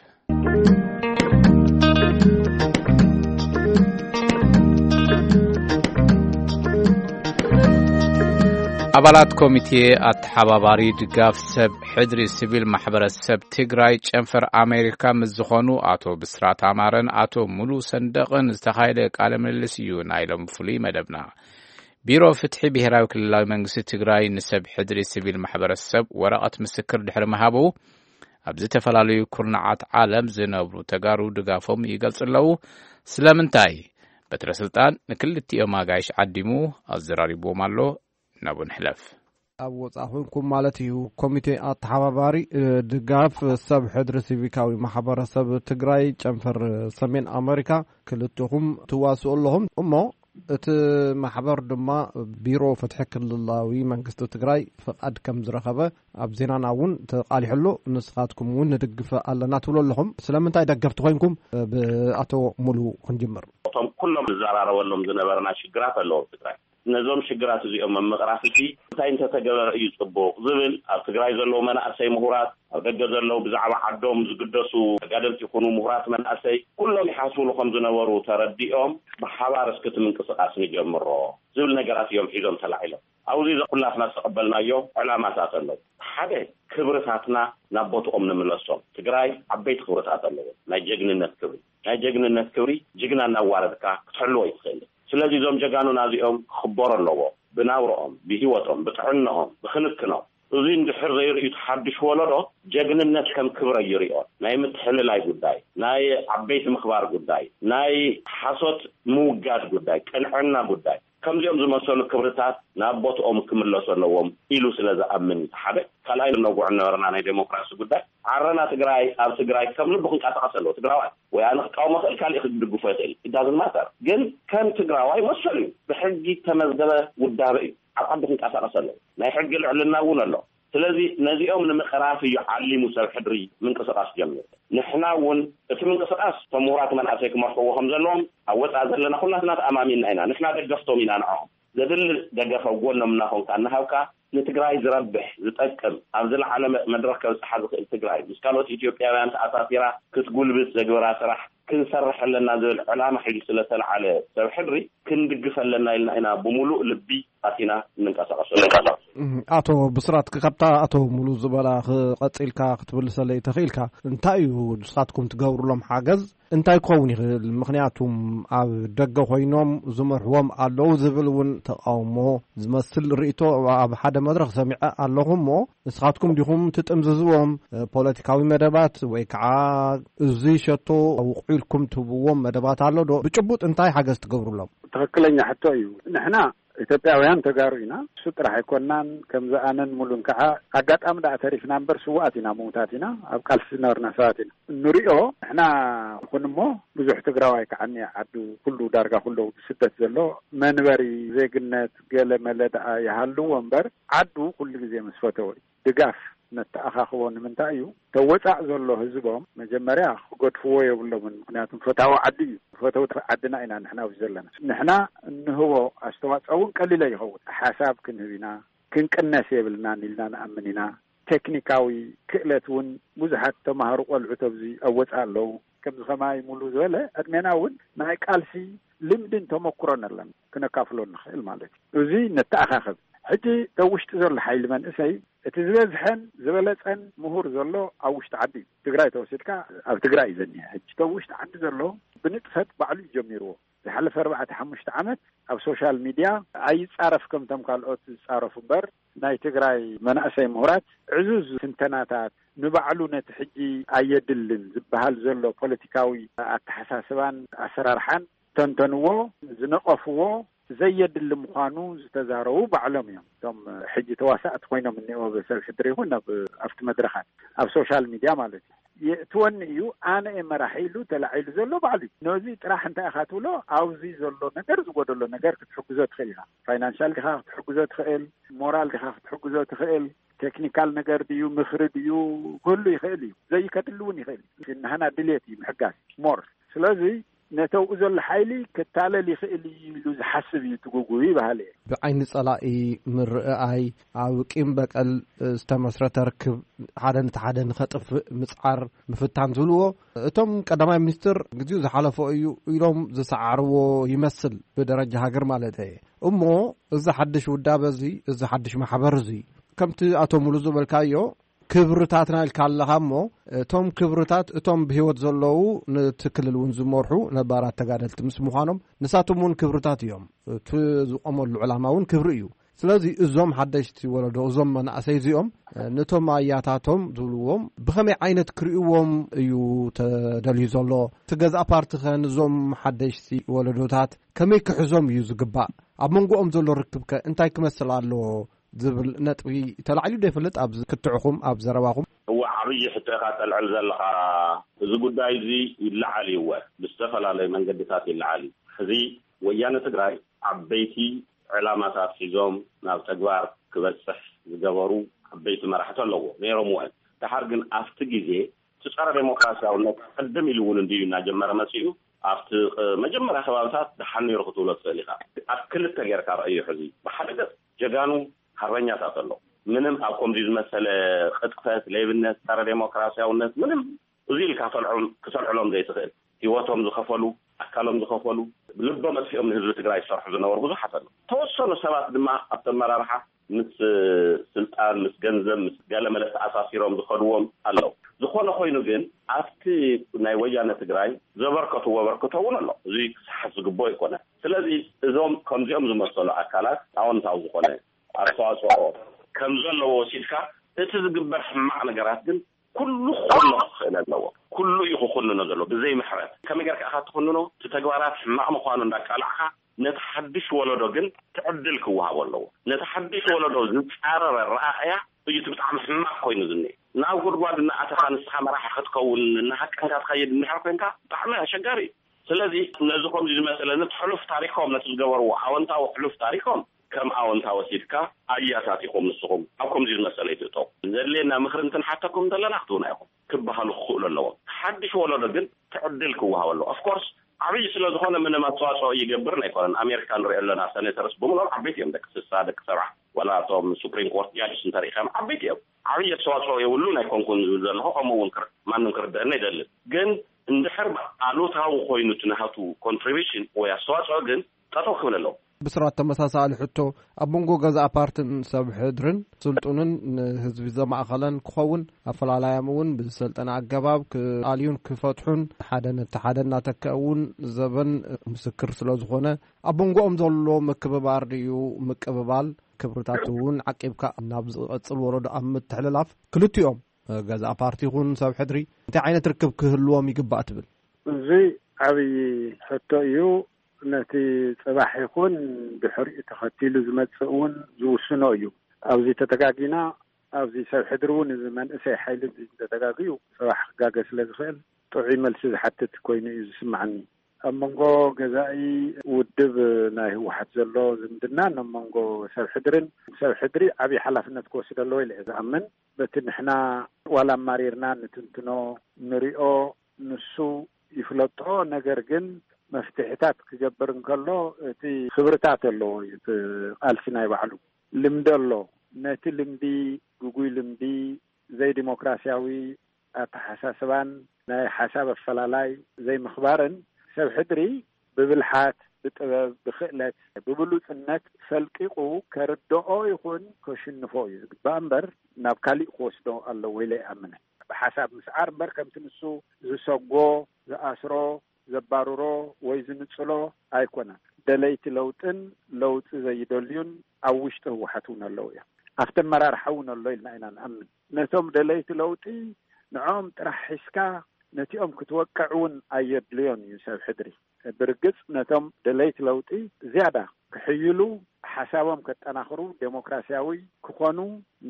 ኣባላት ኮሚቴ ኣተሓባባሪ ድጋፍ ሰብ ሕድሪ ሲቪል ማሕበረሰብ ትግራይ ጨንፈር ኣሜሪካ ምስ ዝኾኑ ኣቶ ብስራት ኣማረን ኣቶ ሙሉ ሰንደቕን ዝተኻየደ ቃለ ምልልስ እዩ ናይ ሎም ፍሉይ መደብና። ቢሮ ፍትሒ ብሄራዊ ክልላዊ መንግስቲ ትግራይ ንሰብ ሕድሪ ሲቪል ማሕበረሰብ ወረቐት ምስክር ድሕሪ ምሃቡ፣ ኣብ ዝተፈላለዩ ኩርናዓት ዓለም ዝነብሩ ተጋሩ ድጋፎም ይገልጹ ኣለዉ። ስለምንታይ? በትረ ስልጣን ንክልቲኦም ኣጋይሽ ዓዲሙ ኣዘራሪብዎም ኣሎ። ናብኡ ንሕለፍ። ኣብ ወጻኢ ኮንኩም ማለት እዩ። ኮሚቴ ኣተሓባባሪ፣ እ፣ ድጋፍ ሰብ ሕድሪ ሲቪካዊ ማሕበረሰብ ትግራይ ጨንፈር ሰሜን ኣመሪካ ክልትኹም ትዋስኡ ኣለኹም እሞ፣ እቲ ማሕበር ድማ ቢሮ ፍትሒ ክልላዊ መንግስቲ ትግራይ ፍቓድ ከም ዝረኸበ ኣብ ዜናና እውን ተቓሊሑ ኣሎ። ንስኻትኩም እውን ንድግፈ ኣለና ትብሉ ኣለኹም። ስለምንታይ ደገፍቲ ኮይንኩም ብኣቶ ሙሉ ክንጅምር? እቶም ኩሎም ንዘራረበሎም ዝነበርና ሽግራት ኣለዉ ኣብ ትግራይ። ነዞም ሽግራት እዚኦም ኣብ ምቕራፍ እቲ እንታይ እንተተገበረ እዩ ጽቡቕ ዝብል፣ ኣብ ትግራይ ዘለዉ መናእሰይ ምሁራት፣ ኣብ ደገ ዘለዉ ብዛዕባ ዓዶም ዝግደሱ ተጋደልቲ ይኹኑ ምሁራት መናእሰይ፣ ኩሎም ይሓስብሉ ከም ዝነበሩ ተረዲኦም፣ ብሓባር እስኪ እቲ ምንቅስቓስ ንጀምሮ ዝብል ነገራት እዮም ሒዞም ተላዒሎም። ኣብዚ ኩላትና ዝተቐበልናዮ ዕላማታት ኣለዉ። ሓደ፣ ክብርታትና ናብ ቦትኦም ንምለሶም። ትግራይ ዓበይቲ ክብርታት ኣለዎ። ናይ ጀግንነት ክብሪ፣ ናይ ጀግንነት ክብሪ ጅግና እናዋረድካ ክትሕልዎ ኣይትኽእልን። ስለዚ እዞም ጀጋኑና እዚኦም ክኽበሩ ኣለዎ፣ ብናብርኦም፣ ብህይወቶም፣ ብጥዕንኦም፣ ብክንክኖም። እዚ እንድሕር ዘይርእዩ እቲ ሓድሽ ወለዶ ጀግንነት ከም ክብሪ ኣይርእዮን። ናይ ምትሕልላይ ጉዳይ፣ ናይ ዓበይቲ ምኽባር ጉዳይ፣ ናይ ሓሶት ምውጋድ ጉዳይ፣ ቅንዕና ጉዳይ፣ ከምዚኦም ዝመሰሉ ክብርታት ናብ ቦትኦም ክምለሱ ኣለዎም ኢሉ ስለ ዝኣምን እዩ። እቲ ሓደ። ካልኣይ፣ ነጉዕ ነበርና ናይ ዴሞክራሲ ጉዳይ። ዓረና ትግራይ ኣብ ትግራይ ከም ልቡ ክንቀሳቐስ ኣለዎ። ትግራዋይ ወይ ኣነ ክቃወሞ ይኽእል፣ ካሊእ ክድግፎ ይኽእል፣ it doesn't matter። ግን ከም ትግራዋይ መሰሉ እዩ። ብሕጊ ዝተመዝገበ ውዳበ እዩ። ኣብ ዓዱ ክንቀሳቐስ ኣለዎ። ናይ ሕጊ ልዕልና እውን ኣሎ። ስለዚ ነዚኦም ንምቕራፍ እዩ ዓሊሙ ሰብ ሕድሪ ምንቅስቓስ ጀሚሩ። ንሕና እውን እቲ ምንቅስቓስ እቶም ምሁራት መናእሰይ ክመርሕዎ ከም ዘለዎም ኣብ ወፃኢ ዘለና ኩላትና ተኣማሚንና ኢና። ንሕና ደገፍቶም ኢና ንዕኦም። ዘድሊ ደገፍ ኣብ ጎኖም እናኾንካ እናሃብካ ንትግራይ ዝረብሕ ዝጠቅም ኣብ ዝለዓለ መ-፣ መድረኽ ከብፅሓ ዝኽእል ትግራይ ምስ ካልኦት ኢትዮጵያውያን ተኣሳሲራ ክትጉልብት ዘግበራ ስራሕ ክንሰርሕ ኣለና ዝብል ዕላማ ሒዙ ስለተለዓለ ሰብ ሕድሪ ክንድግፍ ኣለና ኢልና ኢና ብምሉእ ልቢ ኣቲና እንንቀሳቐሰሉ። እም፣ ኣቶ ብስራት፣ ካብታ ኣቶ ሙሉ ዝበላ ክቐጽልካ ክትምልሰለይ ተኽኢልካ፣ እንታይ እዩ ንስኻትኩም ትገብሩሎም ሓገዝ? እንታይ ክኸውን ይኽእል? ምኽንያቱም ኣብ ደገ ኮይኖም ዝመርሕዎም ኣለዉ ዝብል እውን ተቃውሞ ዝመስል ርእይቶ ኣብ ሓደ መድረኽ ሰሚዐ ኣለኹ እሞ፣ ንስኻትኩም ዲኹም ትጥምዝዝዎም? ፖለቲካዊ መደባት ወይ ከዓ እዚ ሸቶ ውቑ ኢልኩም ትህብዎም መደባት ኣሎ ዶ? ብጭቡጥ እንታይ ሓገዝ ትገብሩሎም? ትኽክለኛ ሕቶ እዩ። ንሕና ኢትዮጵያውያን ተጋሩ ኢና። እሱ ጥራሕ ኣይኮናን፣ ከምዚ ኣነን ሙሉን ከዓ ኣጋጣሚ ደኣ ተሪፍና እምበር ስዉኣት ኢና፣ ምዉታት ኢና፣ ኣብ ቃልሲ ዝነበርና ሰባት ኢና። እንሪኦ ንሕና ይኹን እሞ ብዙሕ ትግራዋይ ከዓ እኒአ ዓዱ ኩሉ ዳርጋ ኩሉ ብስደት ዘሎ መንበሪ፣ ዜግነት፣ ገለ መለ ደኣ ይሃልዎ እምበር ዓዱ ኩሉ ግዜ ምስ ፈተወ እዩ። ድጋፍ ነተኣኻኽቦ ንምንታይ እዩ? ተወጻእ ዘሎ ህዝቦም መጀመርያ ክገድፍዎ የብሎምን። ምክንያቱም ፈታዊ ዓዲ እዩ። ፈተውቲ ዓድና ኢና ንሕና ኣብዚ ዘለና። ንሕና እንህቦ ኣስተዋጽኦ እውን ቀሊል ኣይኸውን። ሓሳብ ክንህብ ኢና፣ ክንቅነስ የብልናን ኢልና ንኣምን ኢና። ቴክኒካዊ ክእለት እውን ብዙሓት ተማሃሩ ቆልዑት ኣብዚ ኣብ ወጻእ ኣለዉ። ከምዚ ከማይ ሙሉ ዝበለ ዕድሜና እውን ናይ ቃልሲ ልምድን ተመኩሮን ኣለና፣ ክነካፍሎ ንኽእል ማለት እዩ። እዚ ነተኣኻኽብ። ሕጂ ኣብ ውሽጢ ዘሎ ሓይሊ መንእሰይ እቲ ዝበዝሐን ዝበለጸን ምሁር ዘሎ ኣብ ውሽጢ ዓዲ እዩ። ትግራይ ተወሲድካ ኣብ ትግራይ እዩ ዘኒሀ። ሕጂ ኣብ ውሽጢ ዓዲ ዘሎ ብንጥፈት ባዕሉ እዩ ጀሚርዎ። ዝሓለፈ ኣርባዕተ ሓሙሽተ ዓመት ኣብ ሶሻል ሚድያ ኣይጻረፍ ከምቶም ካልኦት ዝጻረፉ እምበር፣ ናይ ትግራይ መናእሰይ ምሁራት ዕዙዝ ትንተናታት፣ ንባዕሉ ነቲ ሕጂ ኣየድልን ዝበሃል ዘሎ ፖለቲካዊ ኣተሓሳስባን ኣሰራርሓን ተንተንዎ፣ ዝነቐፍዎ፣ ዘየድሊ ምዃኑ ዝተዛረቡ ባዕሎም እዮም። እቶም ሕጂ ተዋሳእቲ ኮይኖም እኒኦ፣ ሰብ ሕድሪ ይኹን ኣብ፣ ኣብቲ መድረኻት፣ ኣብ ሶሻል ሚድያ ማለት እዩ። የእትወኒ እዩ፣ ኣነ እየ መራሒ ኢሉ ተላዒሉ ዘሎ ባዕሉ እዩ። ነዚ ጥራሕ እንታይ ኢኻ ትብሎ? ኣብዚ ዘሎ ነገር፣ ዝጎደሎ ነገር ክትሕግዞ ትኽእል ኢኻ። ፋይናንሻል ዲኻ ክትሕግዞ ትኽእል፣ ሞራል ዲኻ ክትሕግዞ ትኽእል፣ ቴክኒካል ነገር ድዩ፣ ምኽሪ ድዩ፣ ክህሉ ይኽእል እዩ። ዘይከድሊ እውን ይኽእል እዩ። ናህና ድልየት እዩ ምሕጋዝ ሞር። ስለዚ ነተውኡ ዘሎ ሓይሊ ክታለል ይኽእል እዩ ኢሉ ዝሓስብ እዩ ትጉጉ ይበሃል እየ። ብዓይኒ ጸላኢ ምርኣይ፣ ኣብ ቂም በቀል ዝተመስረተ ርክብ፣ ሓደ ነቲ ሓደ ንኸጥፍእ ምጽዓር፣ ምፍታን ዝብልዎ፣ እቶም ቀዳማይ ሚኒስትር ግዜኡ ዝሓለፎ እዩ ኢሎም ዝሰዓርዎ ይመስል፣ ብደረጃ ሃገር ማለት እየ። እሞ እዚ ሓድሽ ውዳበ እዚ፣ እዚ ሓድሽ ማሕበር እዚ፣ ከምቲ ኣቶ ሙሉ ዝበልካዮ፣ ክብርታትና ኢልካ ኣለኻ እሞ፣ እቶም ክብርታት፣ እቶም ብህይወት ዘለዉ ነቲ ክልል እውን ዝመርሑ ነባራት ተጋደልቲ ምስ ምዃኖም፣ ንሳቶም እውን ክብርታት እዮም። እቲ ዝቖመሉ ዕላማ እውን ክብሪ እዩ። ስለዚ እዞም ሓደሽቲ ወለዶ፣ እዞም መናእሰይ እዚኦም፣ ነቶም ኣያታቶም ዝብልዎም ብኸመይ ዓይነት ክርእይዎም እዩ ተደልዩ ዘሎ? እቲ ገዛእ ፓርቲ ኸ ንዞም ሓደሽቲ ወለዶታት ከመይ ክሕዞም እዩ ዝግባእ? ኣብ መንጎኦም ዘሎ ርክብ ከ እንታይ ክመስል ኣለዎ? ዝብል ነጥቢ ተላዒሉ ዶ ይፈልጥ? ኣብ ክትዕኹም፣ ኣብ ዘረባኹም? እወ፣ ዓብዪ ሕቶ ኢኻ ተልዕል ዘለኻ። እዚ ጉዳይ እዚ ይለዓል እዩ፣ እወ፣ ብዝተፈላለዩ መንገድታት ይለዓል እዩ። ሕዚ ወያነ ትግራይ ዓበይቲ ዕላማታት ሒዞም ናብ ተግባር ክበፅሕ ዝገበሩ ዓበይቲ መራሕቲ ኣለዎ፣ ነይሮም እውን። ደሓር ግን ኣብቲ ግዜ እቲ ጸረ ዴሞክራሲያውነት ቅድም ኢሉ እውን እንድዩ እናጀመረ መጺኡ። ኣብቲ ቕ-፣ መጀመርያ ከባብታት ደሓን ነይሩ ክትብሎ ትኽእል ኢኻ። ኣብ ክልተ ጌርካ ረኣዮ። ሕዚ ብሓደ ገጽ ጀጋኑ ሓርበኛታት ኣለዉ። ምንም ኣብ ከምዚ ዝመሰለ ቅጥፈት፣ ሌብነት፣ ጸረ ዴሞክራሲያውነት ምንም እዚ ኢልካ ተልዑም-፣ ክተልዕሎም ዘይትኽእል፣ ህይወቶም ዝኸፈሉ፣ ኣካሎም ዝኸፈሉ፣ ልቦም ኣጥፊኦም ንህዝቢ ትግራይ ዝሰርሑ ዝነበሩ ብዙሓት ኣለዉ። ተወሰኑ ሰባት ድማ ኣብቲ ኣመራርሓ ምስ ስልጣን፣ ምስ ገንዘብ፣ ምስ ገለመለ ተኣሳሲሮም ዝኸድዎም ኣለዉ። ዝኾነ ኮይኑ ግን ኣብቲ ናይ ወያነ ትግራይ ዘበርከትዎ ኣበርክቶ እውን ኣሎ። እዚ ክሰሓት ዝግብኦ ኣይኮነን። ስለዚ እዞም ከምዚኦም ዝመሰሉ ኣካላት ኣወንታዊ ዝኾነ ኣስተዋፅኦ ከም ዘለዎ ወሲድካ፣ እቲ ዝግበር ሕማቕ ነገራት ግን ኩሉ ክኹንኖ ክኽእል ኣለዎ። ኩሉ እዩ ክኹንኖ ዘለዎ ብዘይ ምሕረት። ከመይ ጌርካ ኢኻ ትኹንኖ? እቲ ተግባራት ሕማቕ ምዃኑ እንዳቃላዕካ፣ ነቲ ሓድሽ ወለዶ ግን እቲ ዕድል ክወሃቦ ኣለዎ። ነቲ ሓድሽ ወለዶ ዝጻረር ኣረኣእያ እዩ እቲ ብጣዕሚ ሕማቕ ኮይኑ ዝኒአ። ናብ ጉድጓድ እናኣተኻ ንስኻ መራሒ ክትከውን እናሃቀንካ ትኸይድ እንድሕር ኮንካ ብጣዕሚ ኣሸጋሪ እዩ። ስለዚ ነዚ ከምዚ ዝመሰለ ነቲ ሕሉፍ ታሪኮም፣ ነቲ ዝገበርዎ ኣወንታዊ ሕሉፍ ታሪኮም ከም ኣወንታ ወሲድካ ኣያታቲኹም ንስኹም ኣብ ከምዚ ዝመሰለ ይትእተው። ዘድልየና ምኽሪ እንትንሓተኩም እንተለና ክትህቡና ኢኹም ክበሃሉ ክኽእሉ ኣለዎም። ሓድሽ ወለዶ ግን እቲ ዕድል ክወሃቦ ኣለዎ። ኦፍኮርስ ዓብዪ ስለ ዝኾነ ምንም ኣስተዋፅኦ ይገብርን ኣይኮነን። ኣሜሪካ ንሪኦ ኣለና፣ ሰኔተርስ ብምልኦም ዓበይቲ እዮም፣ ደቂ ስሳ፣ ደቂ ሰብዓ፣ ዋላ እቶም ሱፕሪም ኮርት ጃጅስ እንተሪእኻዮም ዓበይቲ እዮም። ዓብዪ ኣስተዋፅኦ የብሉን ኣይኮንኩን ዝብል ዘለኹ፣ ከምኡ እውን ክር-፣ ማንም ክርደአኒ ኣይደልን። ግን እንድሕር ኣሉታዊ ኮይኑ እቲ ናሃቱ ኮንትሪቢሽን ወይ ኣስተዋፅኦ ግን ጠጠው ክብል ኣለዎ። ብስራት ተመሳሳሊ ሕቶ፣ ኣብ መንጎ ገዛእ ፓርትን ሰብ ሕድርን ስልጡንን ንህዝቢ ዘማእኸለን ክኸውን፣ ኣፈላላዮም እውን ብዝሰልጠነ ኣገባብ ክኣልዩን ክፈትሑን፣ ሓደ ነቲ ሓደ እናተክአ እውን ዘበን ምስክር ስለ ዝኾነ፣ ኣብ መንጎኦም ዘሎ ምክብባር ድዩ ምቅብባል፣ ክብርታት እውን ዓቂብካ ናብ ዝቐጽል ወለዶ ኣብ ምትሕልላፍ፣ ክልቲኦም ገዛእ ፓርቲ ይኹን ሰብ ሕድሪ እንታይ ዓይነት ርክብ ክህልዎም ይግባእ ትብል? እዚ ዓብዪ ሕቶ እዩ። ነቲ ጽባሕ ይኹን ድሕሪኡ ተኸቲሉ ዝመጽእ እውን ዝውስኖ እዩ። ኣብዚ ተተጋጊና፣ ኣብዚ ሰብ ሕድሪ እውን እዚ መንእሰይ ሓይሊ እዚ እንተተጋግዩ ጽባሕ ክጋገ ስለ ዝኽእል ጥዑይ መልሲ ዝሓትት ኮይኑ እዩ ዝስምዓኒ። ኣብ መንጎ ገዛኢ ውድብ ናይ ህወሓት ዘሎ ዝምድናን ኣብ መንጎ ሰብ ሕድርን፣ ሰብ ሕድሪ ዓብዪ ሓላፍነት ክወስድ ኣለዎ ኢለ እየ ዝኣምን። በቲ ንሕና ዋላ ኣማሪርና ንትንትኖ፣ ንሪኦ፣ ንሱ ይፍለጦ። ነገር ግን መፍትሕታት ክገብር እንከሎ እቲ ክብርታት ኣለዎ እዩ እቲ ቃልሲ ናይ ባዕሉ። ልምዲ ኣሎ። ነቲ ልምዲ፣ ግጉይ ልምዲ፣ ዘይዲሞክራሲያዊ ኣተሓሳስባን ናይ ሓሳብ ኣፈላላይ ዘይምኽባርን ሰብ ሕድሪ ብብልሓት፣ ብጥበብ፣ ብክእለት፣ ብብሉጽነት ፈልቂቑ ከርድኦ ይኹን ከሽንፎ እዩ ዝግባእ እምበር ናብ ካሊእ ክወስዶ ኣለዎ ኢለ ይኣምን። ብሓሳብ ምስዓር እምበር ከምቲ ንሱ ዝሰጎ፣ ዝኣስሮ፣ ዘባርሮ ወይ ዝንጽሎ ኣይኮነን። ደለይቲ ለውጥን ለውጢ ዘይደልዩን ኣብ ውሽጢ ህወሓት እውን ኣለዉ እዮም። ኣብቲ ኣመራርሓ እውን ኣሎ ኢልና ኢና ንኣምን። ነቶም ደለይቲ ለውጢ ንዕኦም ጥራሕ ሒዝካ ነቲኦም ክትወቅዕ እውን ኣየድልዮን እዩ ሰብ ሕድሪ። ብርግጽ ነቶም ደለይቲ ለውጢ ዝያዳ ክሕይሉ፣ ሓሳቦም ከጠናኽሩ፣ ዴሞክራሲያዊ ክኾኑ፣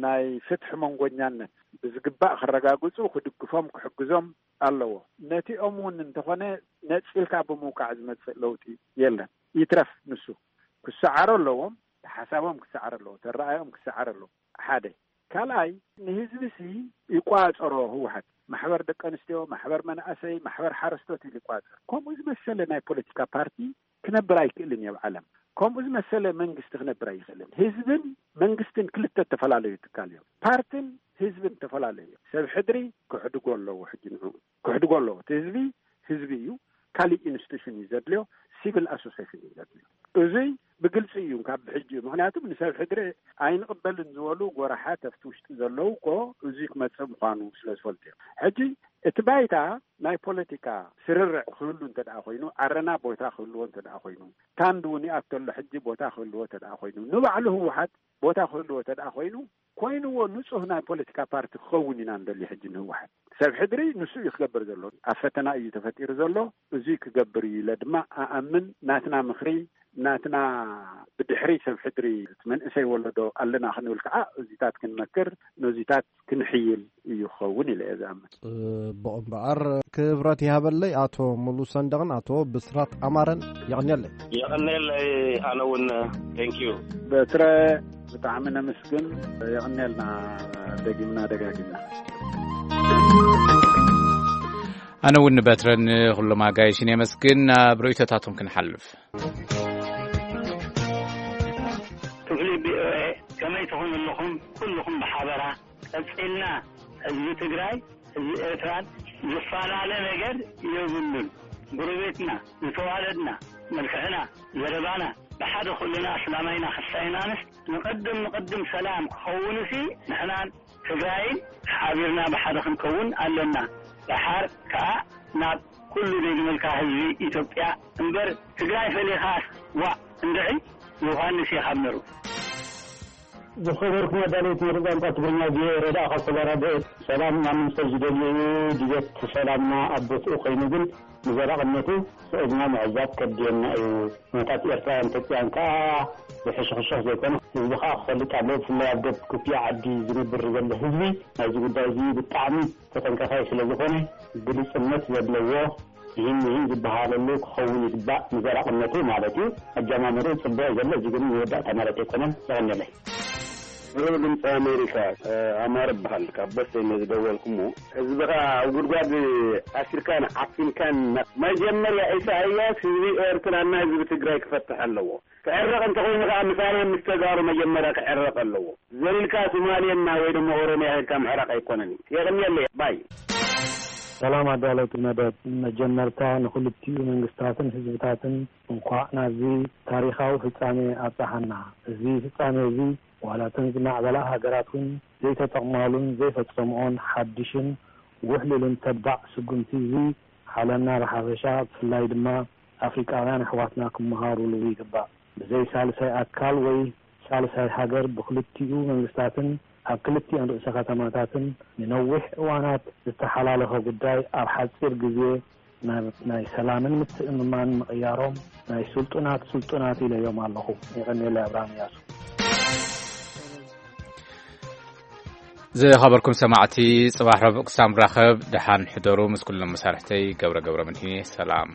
ናይ ፍትሒ መንጎኛነት ብዝግባእ ክረጋግጹ ክድግፎም ክሕግዞም ኣለዎ። ነቲኦም እውን እንተኾነ ነጺልካ ብምውቃዕ ዝመጽእ ለውጢ የለን። ይትረፍ ንሱ ክሰዓሩ ኣለዎም፣ ሓሳቦም ክሰዓር ኣለዎ፣ ተረኣዮም ክሰዓር ኣለዎ። ሓደ። ካልኣይ፣ ንህዝቢ ሲ ይቋጸሮ ህወሓት። ማሕበር ደቂ ኣንስትዮ፣ ማሕበር መናእሰይ፣ ማሕበር ሓረስቶት ኢሉ ይቋጸር። ከምኡ ዝመሰለ ናይ ፖለቲካ ፓርቲ ክነብር ኣይክእልን እዩ ኣብ ዓለም። ከምኡ ዝመሰለ መንግስቲ ክነብር ኣይኽእልን። ህዝብን መንግስትን ክልተ ዝተፈላለዩ ትካል እዮም። ፓርትን ህዝብን ዝተፈላለዩ እዮም። ሰብ ሕድሪ ክሕድጎ ኣለዎ። ሕጂ ንዑ ክሕድጎ ኣለዎ። እቲ ህዝቢ ህዝቢ እዩ። ካሊእ ኢንስቲቱሽን እዩ ዘድልዮ። ሲቪል ኣሶሴሽን እዩ ዘድልዮ። እዙይ ብግልፂ እዩ ካብ ብሕጂ እዩ። ምክንያቱ ንሰብ ሕድሪ ኣይንቕበልን ዝበሉ ጎራሓት ኣብቲ ውሽጢ ዘለዉ እኮ እዙይ ክመፅእ ምዃኑ ስለ ዝፈልጡ እዮም። ሕጂ እቲ ባይታ ናይ ፖለቲካ ስርርዕ ክህሉ እንተ ደኣ ኮይኑ፣ ዓረና ቦታ ክህልዎ እንተ ደኣ ኮይኑ፣ ታንድ እውን ይኣተሎ ሕጂ ቦታ ክህልዎ እንተ ደኣ ኮይኑ፣ ንባዕሉ ህወሓት ቦታ ክህልዎ እንተ ደኣ ኮይኑ፣ ኮይንዎ ንጹህ ናይ ፖለቲካ ፓርቲ ክኸውን ኢና እንደሊ። ሕጂ ንህወሓት ሰብ ሕድሪ ንሱ እዩ ክገብር ዘሎ። ኣብ ፈተና እዩ ተፈጢሩ ዘሎ። እዙይ ክገብር እዩ ኢለ ድማ ኣኣምን። ናትና ምኽሪ፣ ናትና ብድሕሪ ሰብ ሕድሪ እቲ መንእሰይ ወለዶ ኣለና ክንብል ከዓ እዚታት ክንመክር፣ ነዚታት ክንሕይል እዩ ክኸውን ኢለ እየ ዝኣምን። ጽቡቕ እምበኣር፣ ክብረት ይሃበለይ ኣቶ ሙሉ ሰንደቕን ኣቶ ብስራት ኣማረን። የቐንየለይ። የቐንየለይ። ኣነ እውን፣ thank you። በትረ፣ ብጣዕሚ ነመስግን። የቐንየልና፣ ደጊምና ደጋጊምና። ኣነ እውን ንበትረን ኩሎም ኣጋይሽን የመስግን። ናብ ርእይቶታቶም ክንሓልፍ። ክፍሊ ቪኦኤ፣ ከመይ ትኾኑ ኣለኹም? ኩልኹም ብሓበራ። ቀጺልና፣ ህዝቢ ትግራይ፣ ህዝቢ ኤርትራን ዝፈላለ ነገር የብሉን። ጎረቤትና፣ ዝተዋለድና፣ መልክዕና፣ ዘረባና፣ ብሓደ ኩልና ኣስላማይና፣ ክሳይናንስ፣ ንቐድም፣ ንቐድም ሰላም ክኸውንሲ፣ ንሕናን ትግራይን ሓቢርና ብሓደ ክንከውን ኣለና። ደሓር ከኣ ናብ ኩሉ ዘይግመልካ ህዝቢ ኢትዮጵያ እምበር ትግራይ ፈሊኻስ ዋእ እንድዒ ዮሃንስ ኢኻ እምበሩ። ዝኸበርኩም ኣዳለውቲ መደብ ቋንቋ ትግርኛ ቪኦኤ ረዳእ ካብ ሰባራ ብዕድ ሰላም ማንም ሰብ ዝደልዮ እዩ። ድሌት ሰላምና ኣብ ቦትኡ ኮይኑ ግን ንዘላቕነቱ ስዒድና ምዕዛብ ከድልየና እዩ። ኩነታት ኤርትራውያን ኢትዮጵያውያን ከኣ ዝሕሽኽሽኽ ዘይኮነ ህዝቢ ከኣ ክፈልጥ ኣለዎ። ብፍላይ ኣብ ዶብ ክፍያ ዓዲ ዝነብር ዘሎ ህዝቢ ናይዚ ጉዳይ እዚ ብጣዕሚ ተጠንቀቓይ ስለ ዝኾነ ግልጽነት ዘለዎ ይህን ይህን ዝበሃለሉ ክኸውን ይግባእ። ንዘላቕነቱ ማለት እዩ። ኣጀማምርኡ ጽቡቕ ዘሎ፣ እዚ ግን መወዳእታ ማለት ኣይኮነን። የቐንየለይ። ብሩኽ ድምፂ ኣሜሪካ፣ ኣማር እበሃል። ካብ በሰይ እየ ዝደወልኩሞ። ህዝብኻ ኣብ ጉድጓድ ኣሲርካን ዓፊንካን፣ መጀመርያ ኢሳያስ ህዝቢ ኤርትራና ህዝቢ ትግራይ ክፈትሕ ኣለዎ። ክዕረቕ እንተኾይኑ ከዓ ምሳና ምስ ተጋሩ መጀመርያ ክዕረቕ ኣለዎ። ዘሊልካ ሶማሌና ወይ ድማ ኦሮሚያ ሄድካ ምዕራቕ ኣይኮነን እዩ። የቕንየለይ። ባይ። ሰላም ኣዳለውቲ መደብ። መጀመርታ ንክልቲኡ መንግስታትን ህዝብታትን እንኳዕ ናብዚ ታሪኻዊ ፍጻሜ ኣብጽሓና። እዚ ፍጻሜ እዚ ዋላ እተን ዝማዕበላ ሃገራት እውን ዘይተጠቕማሉን ዘይፈጸምኦን ሓድሽን ውሕሉልን ተባዕ ስጉምቲ እዚ ዓለምና ብሓፈሻ ብፍላይ ድማ ኣፍሪቃውያን ኣሕዋትና ክመሃሩሉ ይግባእ። ብዘይ ሳልሳይ ኣካል ወይ ሳልሳይ ሃገር ብክልቲኡ መንግስታትን ኣብ ክልቲኦን ርእሰ ከተማታትን ንነዊሕ እዋናት ዝተሓላለኸ ጉዳይ ኣብ ሓጺር ግዜ ናብ ናይ ሰላምን ምትእምማን ምቕያሮም ናይ ስልጡናት ስልጡናት ኢለዮም ኣለኹ። የቐንየለይ። ኣብርሃም እያሱ። ዝኸበርኩም ሰማዕቲ፣ ጽባሕ ረቡዕ ክሳብ ንራኸብ ደሓን ሕደሩ። ምስ ኩሎም መሳርሕተይ ገብረ ገብረ መድህን እየ። ሰላም።